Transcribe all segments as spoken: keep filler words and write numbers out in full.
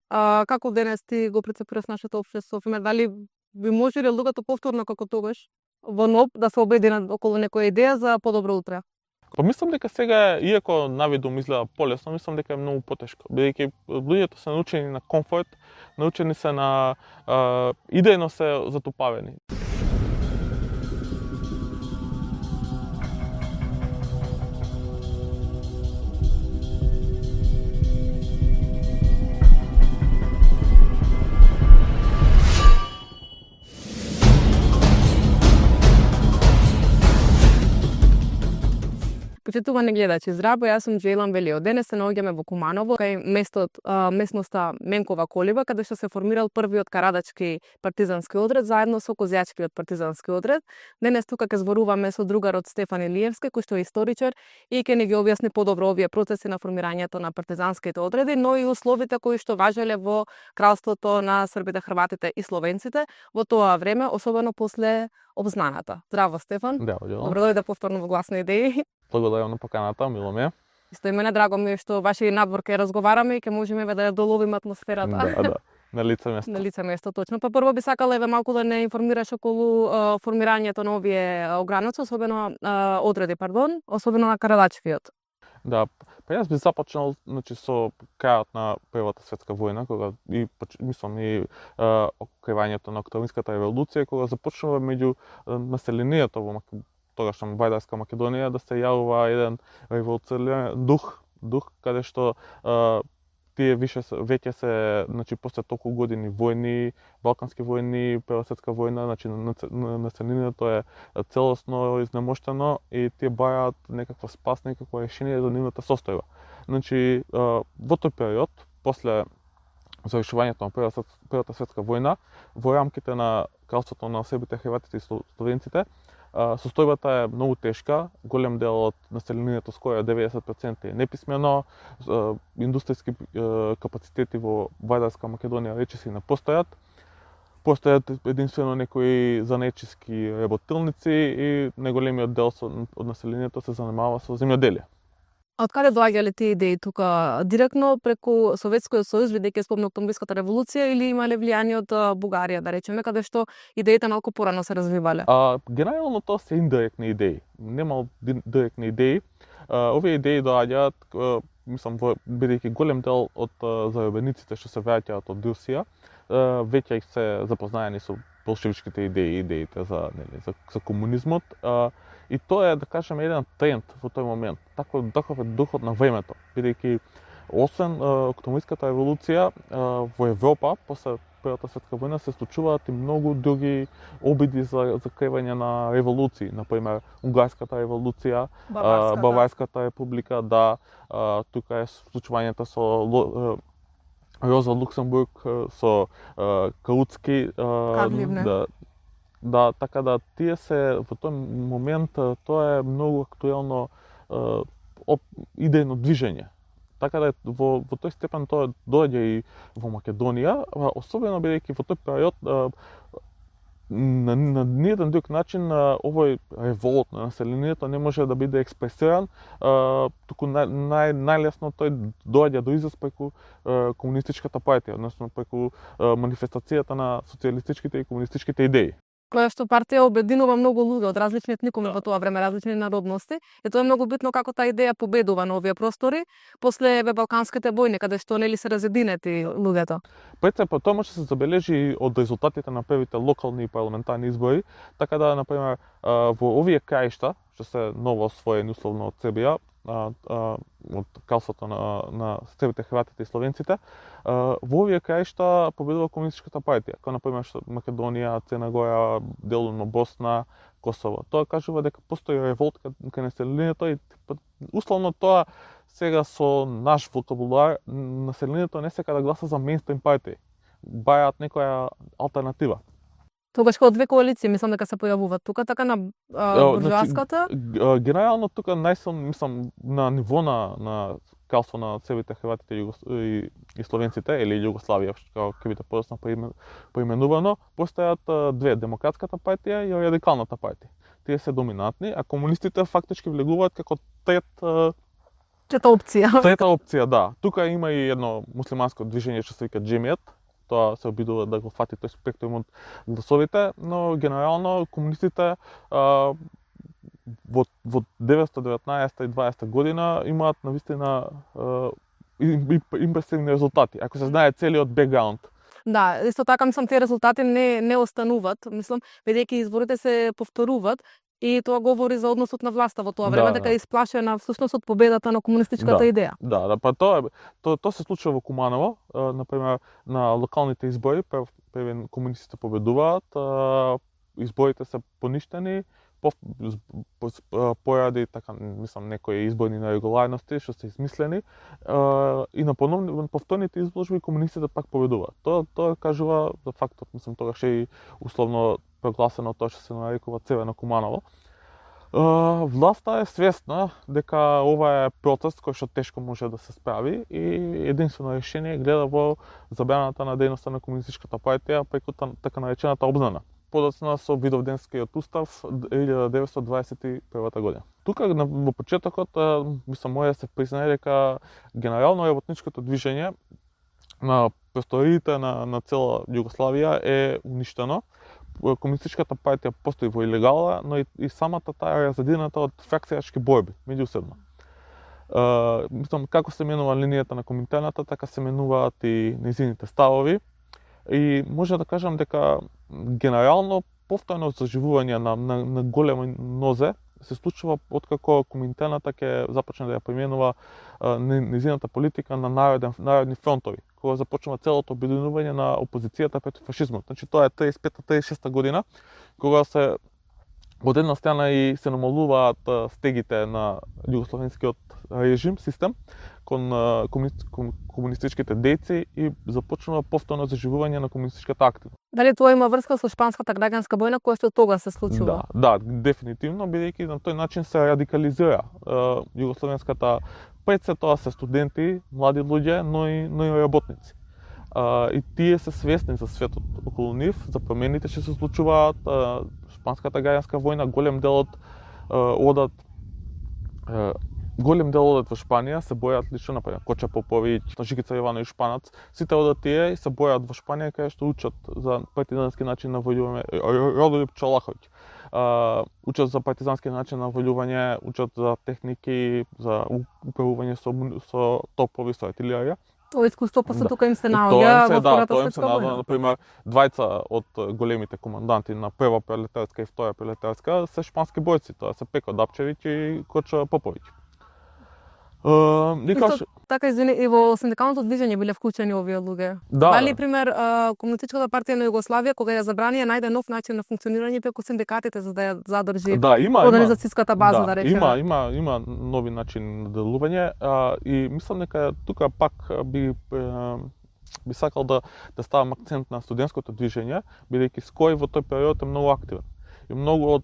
А, како денес ти го прецепираш нашето општество? Пример, дали би можеле луѓето повторно како тогаш во НОБ да се обединат околу некоја идеја за подобро утре? Па мислам дека сега, иако навидум изгледа полесно, мислам дека е многу потешко. Бидејќи луѓето се научени на комфорт, научени се на а, идејно се затупавени. Почитувани гледачи, здраво, јас сум Джейлан Велио. Денес се наоѓаме во Куманово, кај местот, а, местноста Менкова Колиба, каде што се формирал првиот карадачки партизански одред заедно со козјачкиот партизански одред. Денес тука ќе зборуваме со другарот Стефан Илиевски, кој што е историчар и ќе ни ги објасни подобро овие процеси на формирањето на партизанските одреди, но и условите кои што важеле во кралството на србите, хрватите и словенците во тоа време, особено после обзнаната. Здраво, Стефан. Да, Добро дојде повторно во Гласни идеи. Благодарам на поканата, мило ми е. Исто и мене драго ми е што ваши надвор ке разговараме и ке можеме да ја доловиме атмосферата. Да, да. На лице место. На лице место, точно. Па прво би сакала еве малку да не информираш околу а, формирањето на овие ограници, особено а, одреди, пардон, особено на карадачкиот. Да, па јас би започнал, значи, со крајот на Првата светска војна, кога и мислам и окривањето на Октомвриската револуција, кога започнува меѓу населението во тогашна Вајдарска Македонија да се јавува еден револуционарен дух, дух каде што а, тие више веќе се, значи после толку години војни, балкански војни, Прва светска војна, значи населението е целосно изнемоштено и тие бараат некаква спас, некакво решение за нивната состојба. Значи во тој период, после завршувањето на Прва, Првата светска војна, во рамките на кралството на србите, хрватите и словенците, состојбата е многу тешка, голем дел од населението, скоро деветдесет проценти е неписмено, индустријски капацитети во Вајдарска Македонија речиси не постојат, постојат единствено некои занечиски работилници и неголемиот дел од населението се занимава со земјоделие. А од каде доаѓале тие идеи тука? Директно преку Советскиот сојуз, бидејќи спомна Октомвриската револуција, или имале влијание од Бугарија, да речеме, каде што идеите малку порано се развивале? А, генерално тоа се индиректни идеи. Нема директни идеи. А, овие идеи доаѓаат, мислам, бидејќи голем дел од заробениците што се враќаат од Русија, веќе се запознаени со болшевичките идеи, идеите за, нели, за, за комунизмот. А, И тоа е, да кажеме, еден тренд во тој момент. Таков, таков е духот на времето, бидејќи освен Октомвриската револуција во Европа после Првата светска војна се случуваат и многу други обиди за закривање на револуции, например Унгарската револуција, Баварската, Баварската република, да, тука е случувањето со Роза Луксембург, со Каутски, да, Да, така да тие се во тој момент тоа е многу актуелно е, идејно движење. Така да во, во тој степен тоа доаѓа и во Македонија, особено бидејќи во тој период е, на, на ниеден друг начин овој револт на населението не може да биде експресиран, е, туку нај, нај, најлесно тој доаѓа до израз преку е, комунистичката партија, односно преку е, манифестацијата на социјалистичките и комунистичките идеи. Која што партија обединува многу луѓе од различни етникуми во тоа време, различни народности, и тоа е многу битно како таа идеја победува на овие простори после еве балканските војни, каде што нели се разединети луѓето. Прецепно тоа може да се забележи од резултатите на првите локални и парламентарни избори, така да, например, во овие краишта, што се ново освоени условно од Србија, од кралството на, на србите, хрватите и словенците, во овие краишта победува комунистичката партија, како например Македонија, Црна Гора, делумно Босна, Косово. Тоа кажува дека постои револт кај населението и условно тоа сега со наш вокабулар населението не сека да гласа за мејнстрим партии, бајаат некоја алтернатива. Тогаш кога две коалиции мислам дека се појавуваат тука, така на буржоаската. Значи, генерално тука најсилно мислам на ниво на на кралство на србите, хрватите и, и словенците или Југославија, како ќе биде подоцна поименувано, постојат две, Демократската партија и Радикалната партија. Тие се доминантни, а комунистите фактички влегуваат како трет Трета опција. Трета опција, да. Тука има и едно муслиманско движење што се вика Джемијат. Тоа се обидува да го фати тој спектрум од гласовите, но генерално комунистите а, во, во деветстотини и деветнаесетта и дваесетта година имаат навистина импресивни резултати, ако се знае целиот бекграунд. Да, исто така мислам тие резултати не не остануваат, мислам, бидејќи изборите се повторуваат и тоа говори за односот на власта во тоа време, Да, дека да. е исплашена всушност од победата на комунистичката Да. идеја. Да, да, па тоа тоа тоа се случува во Куманово, а, например на локалните избори, прв првен комунистите победуваат, а, изборите се поништени, по, по, поради така мислам некои изборни нерегуларности што се измислени, а, и на поновни на повторните изложби комунистите пак победуваат. Тоа тоа кажува за фактот, мислам тогаш е и условно прогласено тоа што се нарекува Црвено Куманово. Uh, власта е свесна дека ова е процес кој што тешко може да се справи и единствено решение гледа во забраната на дејноста на комунистичката партија преку така наречената обзнана, подоцна со Видовденскиот устав илјада деветстотини дваесет и прва година. Тука во почетокот мислам може да се признае дека генерално работничкото движење на просториите на, на цела Југославија е уништено. Комунистичката партија постои во илегала, но и, и самата таа е разедината од фракцијачки борби меѓусебно. Uh, мислам, како се менува линијата на Коминтерната, така се менуваат и нејзините ставови. И може да кажам дека генерално повторно заживување на, на, на голема нозе се случува откако Коминтерната ќе започне да ја применува нејзината политика на народен, народни фронтови, кога започнува целото обединување на опозицијата против фашизмот. Значи тоа е триесет и пета триесет и шеста година, кога се од една страна и се намалуваат стегите на југословенскиот режим, систем, кон комунистичките дејци и започнува повторно заживување на комунистичката активност. Дали тоа има врска со шпанската граѓанска војна која што тога се случува? Да, да, дефинитивно, бидејќи на тој начин се радикализира југословенската, пред се тоа се студенти, млади луѓе, но и, но и работници. Uh, и тие се свесни за светот околу нив, за промените што се случуваат, uh, шпанската граѓанска војна, голем дел од uh, одат uh, голем дел одат во Шпанија, се бојат лично, например, Коча Поповиќ, Жикица Јовановиќ Шпанац, сите одат тие и се бојат во Шпанија каде што учат за партизански начин на војување, Родолюб Чолаховиќ. Uh, учат за партизански начин на војување, учат за техники, за управување со, со топови, со артилерија. Тоа искуство после Да. тука им се Тоа наоѓа им се, во да, Втората тоа им се светска наоѓа, војна. например, двајца од големите команданти на прва пролетарска и втора пролетарска се шпански бојци, тоа се Пеко Дапчевиќ и Коча Поповиќ. Uh, Исто така, извини, и во синдикалното движење биле вклучени овие луѓе. Да, Дали, да. пример, Комунистичката партија на Југославија, кога ја забрани, ја најде нов начин на функционирање преку синдикатите за да ја задржи Да, има, организацијската база, да, да речеме. Има, има, има нови начин на делување, а, и мислам дека тука пак би би сакал да да ставам акцент на студентското движење, бидејќи СКОј во тој период е многу активен. И многу од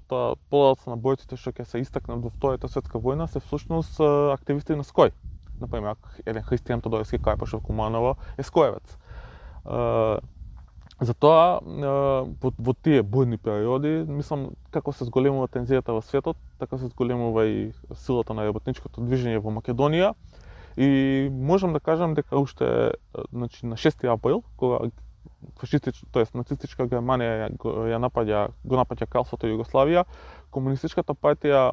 подоцна на бојците што ќе се истакнат во Втората светска војна се всушност активисти на СКОј. Например, еден Христијан Тодорски Карпаш во Куманово е скоевец. Uh, затоа uh, во, во тие бојни периоди, мислам, како се зголемува тензијата во светот, така се зголемува и силата на работничкото движење во Македонија. И можам да кажам дека уште значи, на шести април, кога фашистич, тоест нацистичка Германија ја напаѓа, го напаѓа кралството Југославија, комунистичката партија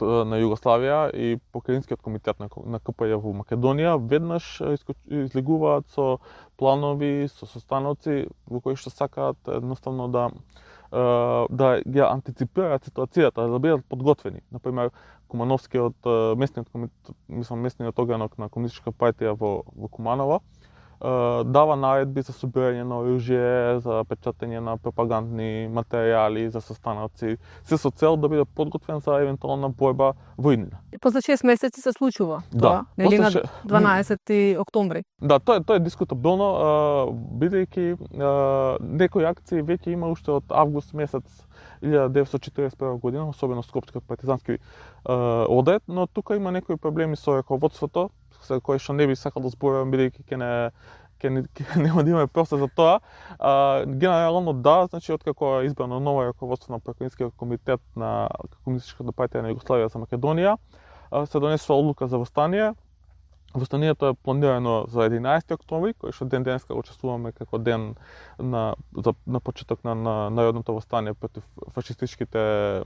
на Југославија и Покраинскиот комитет на, на КПЈ во Македонија веднаш излегуваат со планови, со состаноци во кои што сакаат едноставно да да ја антиципираат ситуацијата, да бидат подготвени. Например, Кумановскиот местниот комитет, мислам местниот орган на комунистичка партија во во Куманово дава наредби за собирање на оружје, за печатење на пропагандни материјали, за состаноци, се со цел да биде подготвен за евентуална борба во иднина. После шест месеци се случува Да, тоа, нели на после ше- дванаесети октомври. Да, тоа е тоа е дискутабилно, бидејќи некои акции веќе има уште од август месец илјада деветстотини четиридесет и прва година, особено Скопскиот партизански одред, но тука има некои проблеми со раководството, за кои што не би сакал да зборувам бидејќи ќе не ќе не, ќе нема да имаме простор за тоа. А, генерално да, значи откако е избрано ново раководство на Покраинскиот комитет на Комунистичката партија на Југославија за Македонија, се донесува одлука за востание. Востанието е планирано за единаесети октомври, кој што ден денеска го чествуваме како ден на за на почеток на, на народното востание против фашистичките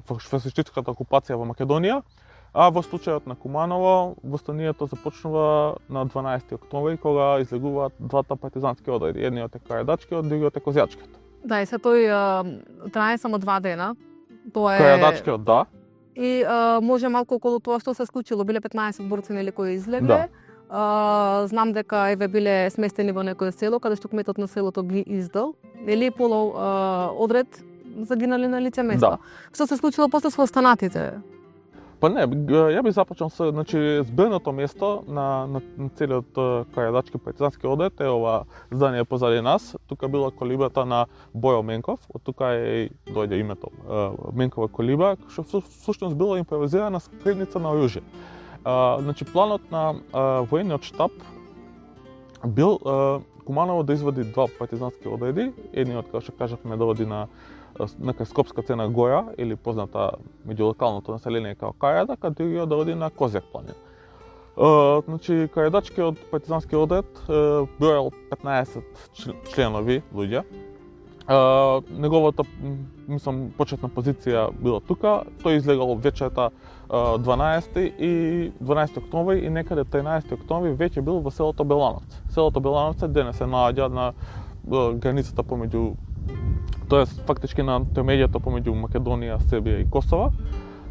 фашистичката окупација во Македонија. А во случајот на Куманово, востанието започнува на дванаесети октомври, кога излегуваат двата партизански одреди. Едниот е Карајдачкиот, другиот е Козјачкиот. Да, и се тој трае само два дена. Тоа е Карајдачкиот, да. И а, може малку околу тоа што се случило, биле петнаесет борци нели кои излегле. Да. А, знам дека еве биле сместени во некое село каде што кметот на селото ги издал, нели полу а, одред загинали на лице место. Да. Што се случило после со останатите? Па не, ја би започнал со, значи, зборното место на, на, на целиот Карајдачки партизански одред е ова здание позади нас. Тука била колибата на Бојо Менков, од тука е дојде името Менкова колиба, што всушност била импровизирана скривница на оружје. Значи, планот на а, воениот штаб бил а, Куманово да извади два партизански одреди, едниот, како што кажавме, да оди на нека Скопска Цена Гора, или позната меѓу локалното население као Карајдак, а другиот да оди на Козјак планина. Uh, значи, Карајдачкиот партизански одред uh, броел петнаесет членови луѓе. Uh, неговата, мислам, почетна позиција била тука. Тој излегал вечерта uh, дванаесети и дванаесети октомври и некаде тринаесети октомври веќе бил во селото Белановци. Селото Белановци денес се наоѓа на uh, границата помеѓу, тоест фактички на интермедијата помеѓу Македонија, Србија и Косово.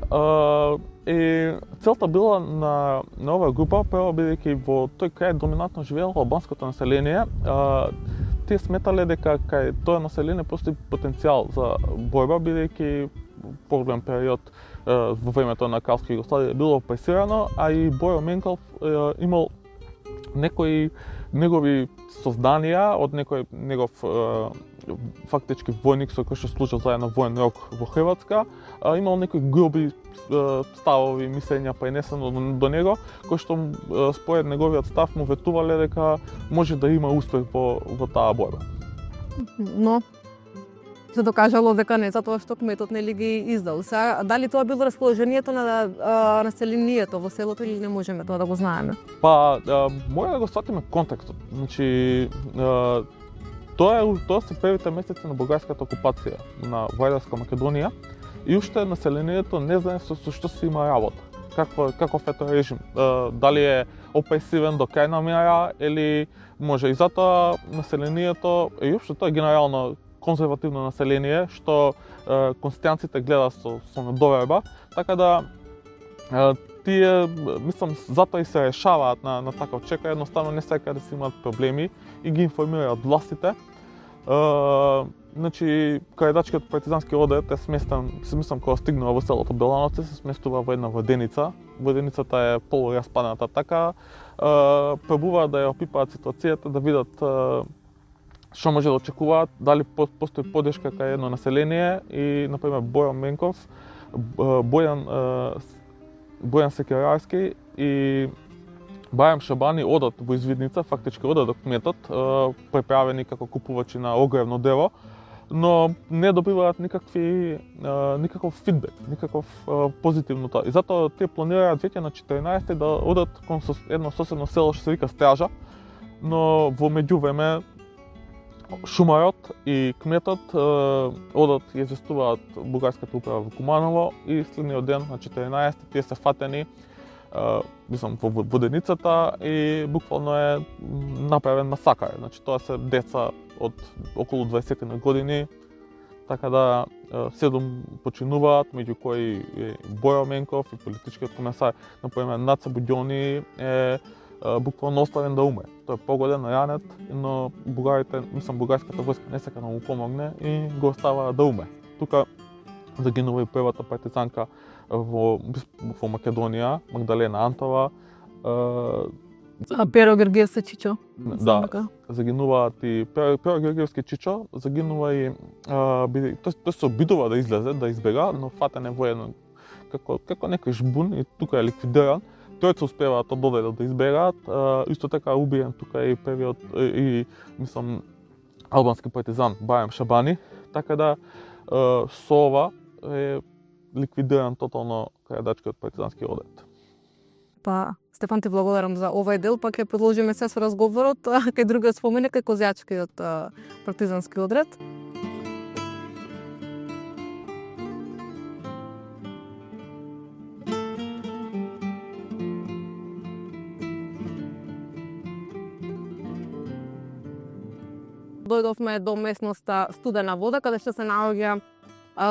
Uh, и целта била на, на оваа група, прво бидејќи во тој крај доминантно живеело албанското население, uh, тие сметале дека кај тоа население постои потенцијал за борба, бидејќи поголем период uh, во времето на Кралска Југославија било опресирано, а и Бојо Менков uh, имал некои негови созданија од некој негов uh, фактички војник со кој што служил заедно воен рок во Хрватска, а, имал некои груби а, ставови, мислења пренесено до, до него, кои што а, според неговиот став му ветувале дека може да има успех во, во таа борба. Но се докажало дека не затоа што кметот нели ги издал. Сега, дали тоа било расположението на а, населението во селото или не можеме тоа да го знаеме? Па, а, мора да го сватиме контекстот. Значи, а, Тоа е тоа се првите месеци на бугарската окупација на Вајдарска Македонија и уште населението не знае со, со што се има работа. Каква каков е тој режим? Дали е опресивен до крајна мера или може и затоа населението и уште тоа е генерално конзервативно население што конституцијите гледа со со недоверба, така да тие, мислам, затоа и се решаваат на, на таков чека, едноставно не сакаат да си имаат проблеми и ги информираат властите. Uh, значи, Карајдачкиот партизански одред е сместен, се мислам, кога стигнува во селото Белановци, се сместува во една воденица. Воденицата е полураспадната така. Uh, пробуваат да ја опипаат ситуацијата, да видат uh, што може да очекуваат, дали постои поддршка кај едно население и, например, Бојан Менков, Бојан uh, Бојан Секерарски и Бајам Шабани одат во извидница, фактички одат до кметот, преправени како купувачи на огревно дево, но не добиваат никакви никаков фидбек, никаков позитивно тоа. И затоа тие планираат веќе на четиринаесети да одат кон едно соседно село што се вика Стража, но во меѓувреме шумарот и кметот одат и известуваат бугарската управа во Куманово и следниот ден на четиринаесети тие се фатени Uh, мислам, во воденицата и буквално е направен масакар. Значи, тоа се деца од околу дваесет години, така да uh, седум починуваат, меѓу кои е Бојо Менков и политичкиот комесар, например, Наца Будјони е uh, буквално оставен да умре. Тој е погоден, ранет, но бугарите, мислам, бугарската војска не сака да му помогне и го остава да умре. Тука загинува и првата партизанка во, во Македонија, Магдалена Антова. А Перо Георгиевски Чичо? Да, загинуваат и Перо, Перо Георгиевски Чичо, загинува и а, биде, тој, тој се обидува да излезе, да избега, но фатен е во едно како како некој жбун и тука е ликвидиран. Тројца успеваат од додајда да избегаат, а, исто така убиен тука е и првиот и, и мислам албански партизан Бајам Шабани, така да а, со ова е ликвидиран тотално Карајдачкиот партизански одред. Па, Стефан, ти благодарам за овој дел, па ќе продолжиме се со разговорот кај другиот споменик кај Козјачкиот партизански одред. Дојдовме до местноста Студена вода, каде што се наоѓа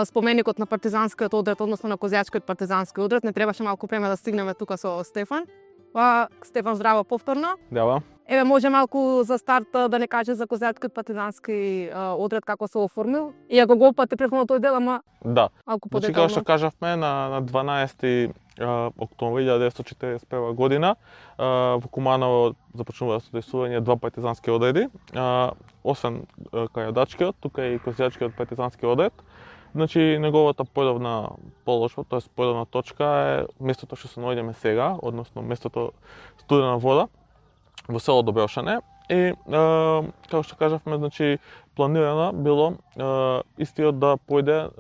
споменикот на партизанскиот одред, односно на Козјачкиот партизански одред. Не требаше малку време да стигнеме тука со Стефан. Па, Стефан, здраво повторно. Дава. Еве, може малку за старт да не каже за Козјачкиот партизански одред како се оформил. Иако го опати претходно тој дел, ама да. Малку значи, подетално. како што кажавме, на, на дванаесети октомври илјада деветстотини четиридесет и прва година во Куманово започнува содржување два партизански одреди. Освен Карадачкиот, тука и Козјачкиот партизански одред. Значи, неговата појдовна положба, тоа е појдовна точка е местото што се наоѓаме сега, односно местото Студена вода во село Доброшане. И, како што кажавме, значи, планирано било истиот да појде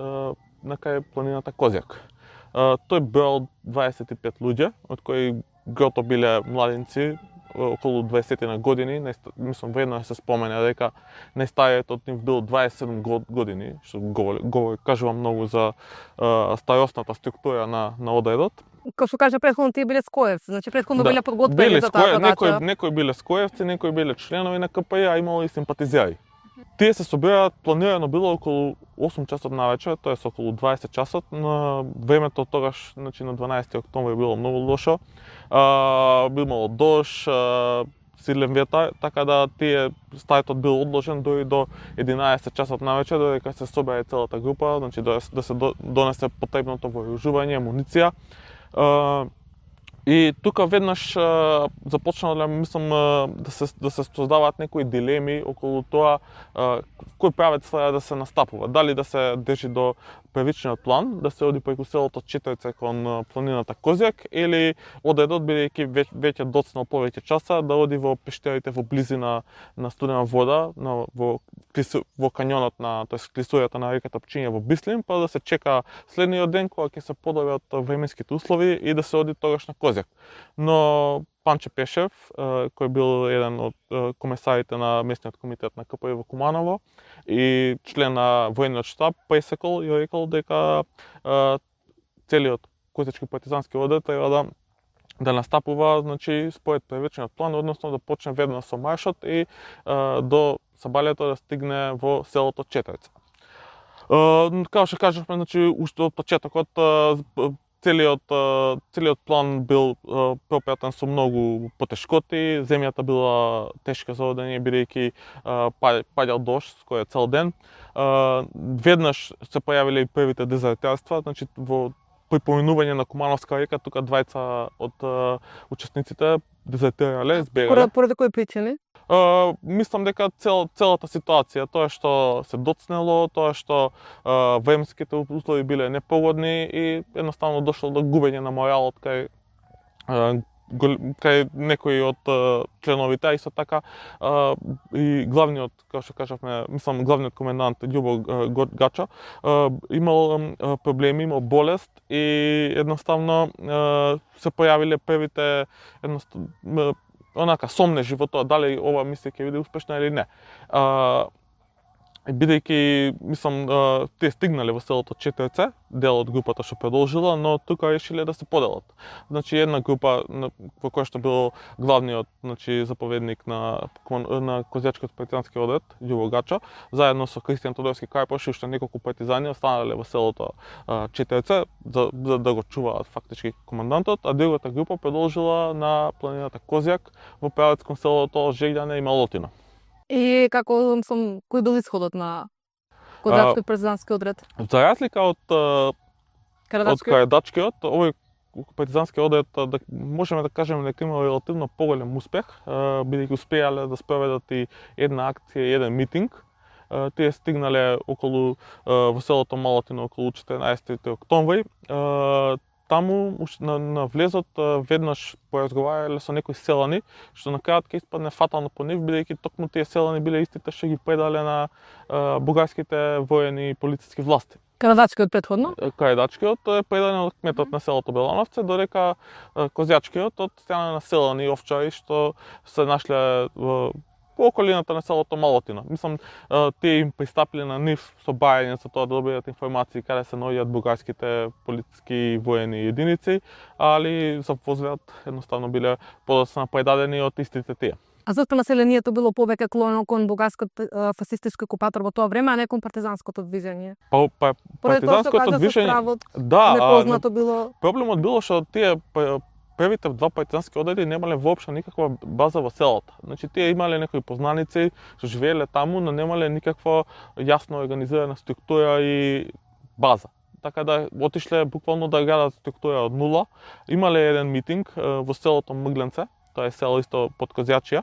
на кај планината Козјак. Тој бројал дваесет и пет луѓе, од кои грото биле младинци, околу дваесет на години. Мислам, вредно е се спомене дека најстариот од нив бил дваесет и седум години, што говори, говори кажува многу за а, старосната структура на, на одредот. Како што кажа претходно, тие биле скоевци, значи претходно Да. биле подготвени за таа задача. Некои, некои биле скоевци, некои биле членови на Ка Пе Ј, а имало и симпатизери. Тие се собираат, планирано било околу осум часот навечер, тоа е околу дваесет часот. На времето тогаш, значи на дванаесети октомври било многу лошо. А, имало дожд, а, силен ветар, така да тие стартот бил одложен дори до единаесет часот навечер, додека се собере целата група, значи да, да се донесе потребното вооружување, амуниција. А, И тука веднаш а, започнале, мислам, а, да се да се создаваат некои дилеми околу тоа а, кој правец треба да се настапува. Дали да се држи до првичниот план, да се оди преку селото Четирица кон планината Козјак, или одредот, бидејќи веќе, веќе доцнал повеќе часа, да оди во пештерите во близина на Студена вода, на, во, во канјонот на, тоест клисуријата на реката Пчиња во Бислим, па да се чека следниот ден кога ќе се подобрат временските услови и да се оди тогаш на Козјак. Но Панче Пешев, кој бил еден од комесарите на местниот комитет на Ка Пе Ј во Куманово и член на војниот штаб, пресекол и рекол дека целиот Козјачки партизански одред треба да да настапува, значи, според првичниот план, односно да почне веднаш со маршот и до сабалјето да стигне во селото Четирица. Како што кажавме, значи, уште од почетокот Целиот, целиот план бил пропратен со многу потешкоти, земјата била тешка за одење, бидејќи паѓал дожд кој е цел ден. Веднаш се појавиле и првите дезертарства, значи во при поминување на Кумановска река, тука двајца од учесниците дезертирале, збегале. Поради кои причини? Uh, мислам дека цел, целата ситуација, тоа што се доцнело, тоа што uh, временските услови биле непогодни и едноставно дошло до губење на моралот кај uh, кај некои од uh, членовите, а исто така uh, и главниот, како што кажавме, мислам главниот комендант Љубо uh, Гача, uh, имал uh, проблеми, имал болест и едноставно uh, се појавиле првите едноставно онака сомнежи во тоа дали ова мисија ќе биде успешна или не. А, бидејќи, мислам, а, тие стигнале во селото Четирица, дел од групата што продолжила, но тука решиле да се поделат. Значи една група во која што бил главниот, значи заповедник на на Козјачкиот партизански одред Љубо Гача, заедно со Кристијан Тодорски Карпош и уште неколку партизани останале во селото а, Четирица за, за да го чуваат фактички командантот, а другата група продолжила на планината Козјак во правец кон селото Жеѓане и Малотина. И како сум, кој бил исходот на Козјачкиот партизански одред? За разлика од од Карадачкиот, овој партизански одред, да можеме да кажеме дека имал релативно поголем успех, бидејќи успеале да спроведат и една акција и еден митинг. Тие стигнале околу во селото Малотина околу четиринаесети октомври. Таму на, на влезот веднаш поразговарале со некои селани, што на крајот ќе испадне фатално по нив, бидејќи токму тие селани биле истите што ги предале на а, бугарските воени и полициски власти. Карадачкиот претходно? Карадачкиот е предаден од кметот на селото Белановце, додека Козјачкиот од страна на селани овчари што се нашле во по околината на селото Малотина. Мислам, тие им пристапиле на нив со бајање за тоа да добијат информации каде се наоѓаат бугарските полициски и воени единици, али за возверат едноставно биле подоцна предадени од истите тие. А зашто населението било повеќе клонено кон бугарското фасистичко окупатор во тоа време, а не кон партизанското движење? Па, па партизанското движење, да, непознато било. Проблемот било што тие првите два партизански одреди немале воопшто никаква база во селото. Значи тие имале некои познаници што живееле таму, но немале никаква јасно организирана структура и база. Така да отишле буквално да градат структура од нула. Имале еден митинг во селото Мгленце, тоа е село исто под Козјачија,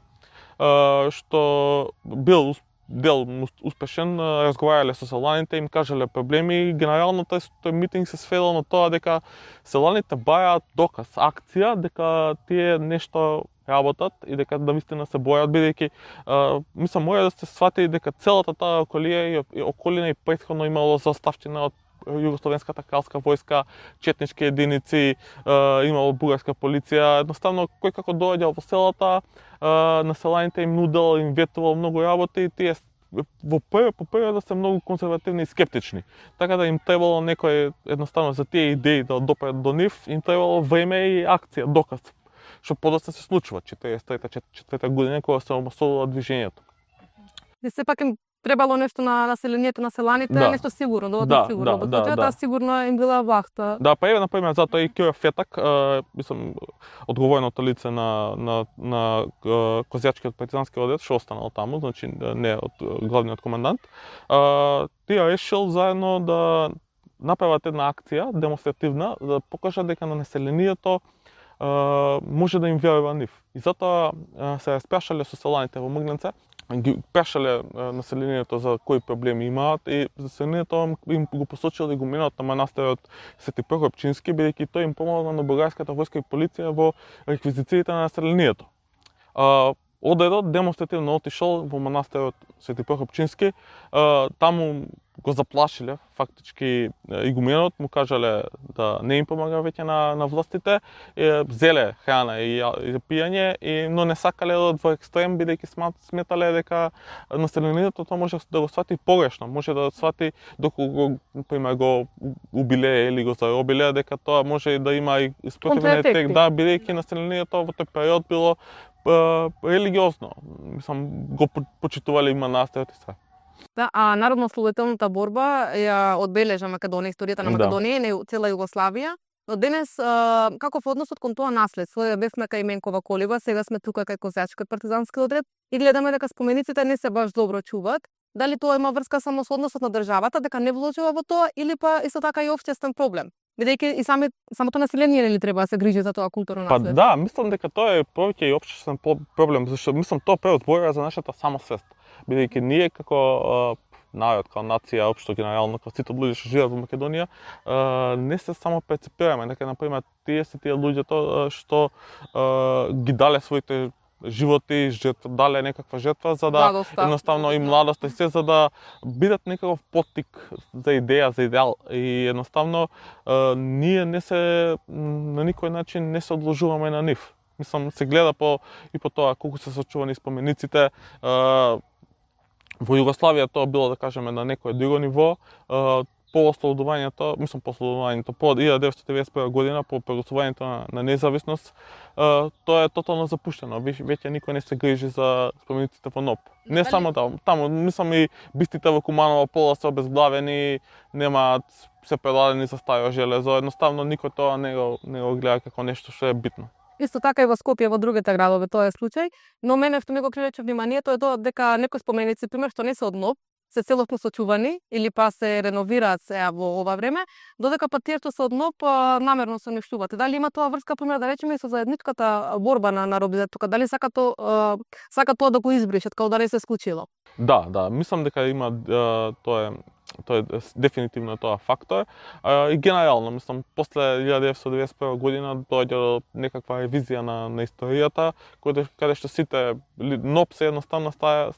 што бил дел успешен, разговарале со селаните, им кажале проблеми. Генерално тој митинг се сведел на тоа дека селаните бајаат доказ, акција, дека тие нешто работат и дека да вистина се бојат, бидејќи мислам мора да се свати дека целата таа околија и околина и претходно имало заставчина од Југословенската кралска војска, четнички единици, имало бугарска полиција. Едноставно кој како доаѓал во селата, на селаните им нудел, им ветувал многу работи и тие во прво по прво да се многу конзервативни и скептични. Така да им требало некој едноставно за тие идеи да допрат до нив, им требало време и акција, доказ. Што подоцна се случува четиридесет и трета четврта година кога се омасувало движењето. И сепак им требало нешто на населението на селаните, да. Нешто сигурно, доволно да, сигурно. Да, да, да. Сигурно им била вахта. Да, па еве на пример затоа и Кјо Фетак, мислам одговорното лице на на на Козјачкиот партизански одред што останал таму, значи не од главниот комендант. Тие решил заедно да направат една акција демонстративна да покажат дека на населението може да им верува нив. И затоа се распрашале со селаните во Мгленце, ги прашале населението за кои проблеми имаат и населението им го посочило да го минат на манастирот Свети Прокопчински, бидејќи тој им помогна на бугарската војска и полиција во реквизициите на населението. Одредот демонстративно отишол во манастирот Свети Прокопчински, таму го заплашиле фактички игуменот, му кажале да не им помага веќе на, на властите, зеле храна и, и пиење, и, но не сакале да во екстрем, бидејќи сметале дека населението тоа може да го свати погрешно, може да свати доколку го, например, го убиле или го заробиле, дека тоа може да има и спротивен ефект, да, бидејќи населението во тој период било религиозно, мислам, го почитувале и манастирот и све. Да, а народно-ослободителната борба ја одбележа Македонија, историјата на Македонија и да. Цела Југославија. Но денес, а, каков односот кон тоа наследство? Бевме кај Менкова Колева, сега сме тука кај Козјачкиот партизански одред и гледаме дека спомениците не се баш добро чуваат. Дали тоа има врска само со односот на државата, дека не вложува во тоа, или па исто така и општествен проблем? Бидејќи и сами, самото население нели треба да се грижи за тоа културно наследство? Па да, мислам дека тоа е повеќе и општествен проблем, зашто мислам тоа пред зборува за нашата самосвест. Бидејќи ние како народ, како нација, општо генерално, како сите луѓе што живеат во Македонија, не се само перцепираме, дека на пример тие се тие луѓето што ги дале своите животи, жертва, дале некаква жертва за да младоста. Едноставно и младоста и се за да бидат некаков поттик за идеја, за идеал и едноставно ние не се на никој начин не се одложуваме на нив. Мислам се гледа по и по тоа колку се сочувани спомениците. Во Југославија тоа било, да кажеме, на некое друго ниво. По ослободувањето, мислам по ослободувањето, по илјада деветстотини и деветдесет и прва година, по прогласувањето на, на независност, тоа е тотално запуштено. Веќе никој не се грижи за спомениците во НОП. Не само таму, таму, мислам и бистите во Куманово пола се обезглавени, немаат се предадени за старо железо, едноставно никој тоа не го, не го гледа како нешто што е битно. Исто така и во Скопје, во другите градове тоа е случај, но мене што ми го привлече вниманието е тоа дека некои споменици, пример, што не се од НОП, се целосно сочувани или па се реновираат сега во ова време, додека па тие што се од НОП намерно се уништуваат. Дали има тоа врска, пример, да речеме, со заедничката борба на народите тука, дали сака тоа, сака тоа да го избришат, како да не се случило? Да, да, мислам дека има тоа е тоа е дефинитивно тоа фактор. И генерално, мислам, после илјада деветстотини деветдесет и прва година доаѓа до некаква ревизија на, на историјата, каде, каде што сите НОП се едноставно става,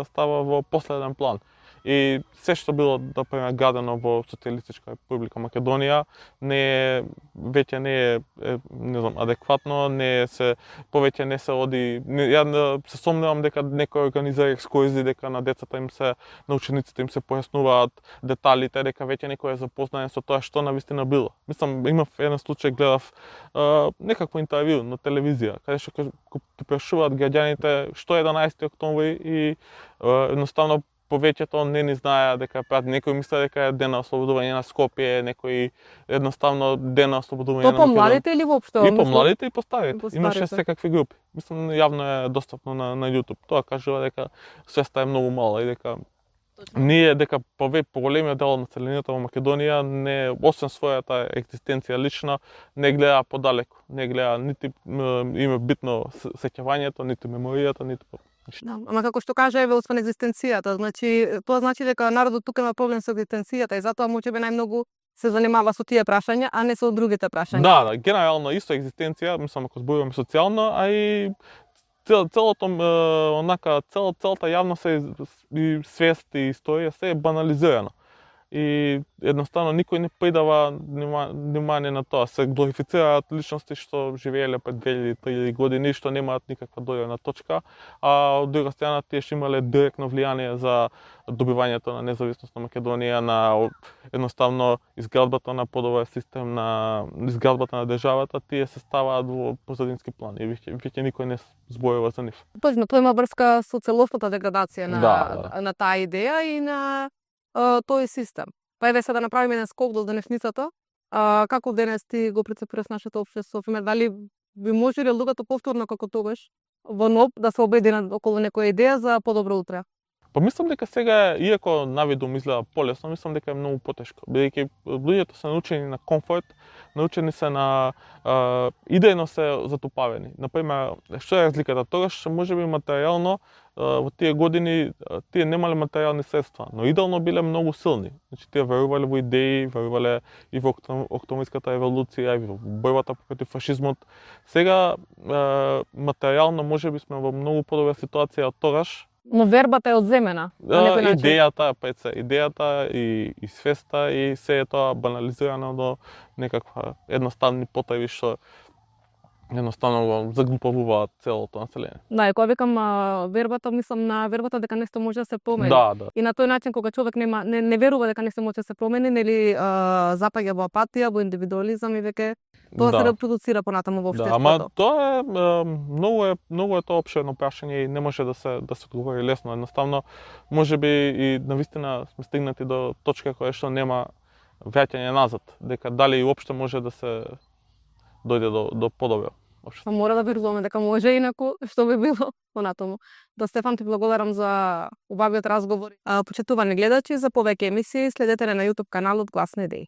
става во последен план. И се што било, да пример, градено во Социјалистичка република Македонија, не е, веќе не е, е не знам, адекватно, не се, повеќе не се оди, не, ја се сомневам дека некој организира екскурзии, дека на децата им се, на учениците им се појаснуваат деталите, дека веќе некој е запознаен со тоа што навистина било. Мислам, имав еден случај, гледав а, некакво интервју на телевизија, каде што ти прашуваат граѓаните што е единаесети октомври и а, едноставно повеќето не ни знаеа дека прати, некои мислеа дека е ден на ослободување на Скопје, некои едноставно ден на ослободување То на по младите или воопшто? И по младите и по старите. по Имаше старите. секакви групи. Мислам, јавно е достапно на, на YouTube. Тоа кажува дека свеста е многу мала и дека ние, дека пове поголемиот дел од населението во Македонија не, освен својата екзистенција лична, не гледа подалеку. Не гледа нити има битно сеќавањето, нити меморијата, нити Да, ама како што кажа еве освен екзистенцијата, значи тоа значи дека народот тука има проблем со екзистенцијата и затоа можеби најмногу се занимава со тие прашања, а не со другите прашања. Да, да, генерално исто екзистенција, мислам ако зборуваме социјално, а и цел, целото онака цел целата јавност е и свест и историја се е банализирано. И едноставно никој не придава внимание на тоа. Се глорифицираат личности што живееле пред две илјади три илјади години, што немаат никаква дојдена точка, а од друга страна тие што имале директно влијание за добивањето на независност на Македонија, на едноставно изградбата на подобар систем, на изградбата на државата, тие се ставаат во позадински план и веќе, веќе никој не зборува за нив. Точно, тоа има врска со целосната деградација на, Да, да. на таа идеја и на а, тој систем. Па еве сега да направиме еден скок до денешницата. А, како денес ти го прецепираш нашето општество? Пример, дали би можеле луѓето повторно како тогаш во НОП да се обединат околу некоја идеја за подобро утре? Па мислам дека сега, иако навидум изгледа полесно, мислам дека е многу потешко, бидејќи луѓето се научени на комфорт, научени се на а, идејно се затупавени. Например, што е разликата? Тогаш можеби материјално а, во тие години а, тие немале материјални средства, но идеално биле многу силни. Значи тие верувале во идеи, верувале и во октомврската револуција, и во борбата против фашизмот. Сега а, материјално можеби сме во многу подобра ситуација од тогаш. Но вербата е одземена на некој начин. Идејата, пред се, идејата и, и свеста и се е тоа банализирано до некаква едноставни потреби што едноставно го заглупавуваат целото население. Да, и кога викам а, вербата, мислам на вербата дека нешто може да се промени. Да, да. И на тој начин кога човек нема не, не верува дека нешто може да се промени, нели а, запаѓа во апатија, во индивидуализам и веќе тоа Да. се репродуцира понатаму во Да, општеството. ама тоа е, е многу е многу е тоа опширно прашање и не може да се да се одговори лесно. Едноставно можеби и навистина сме стигнати до точка која што нема враќање назад, дека дали уопште може да се дојде до до подобро. Па мора да веруваме дека може, инаку што би било понатаму. Да, Стефан, ти благодарам за убавиот разговор. А, почитувани гледачи, за повеќе емисии следете на YouTube каналот Гласни идеи.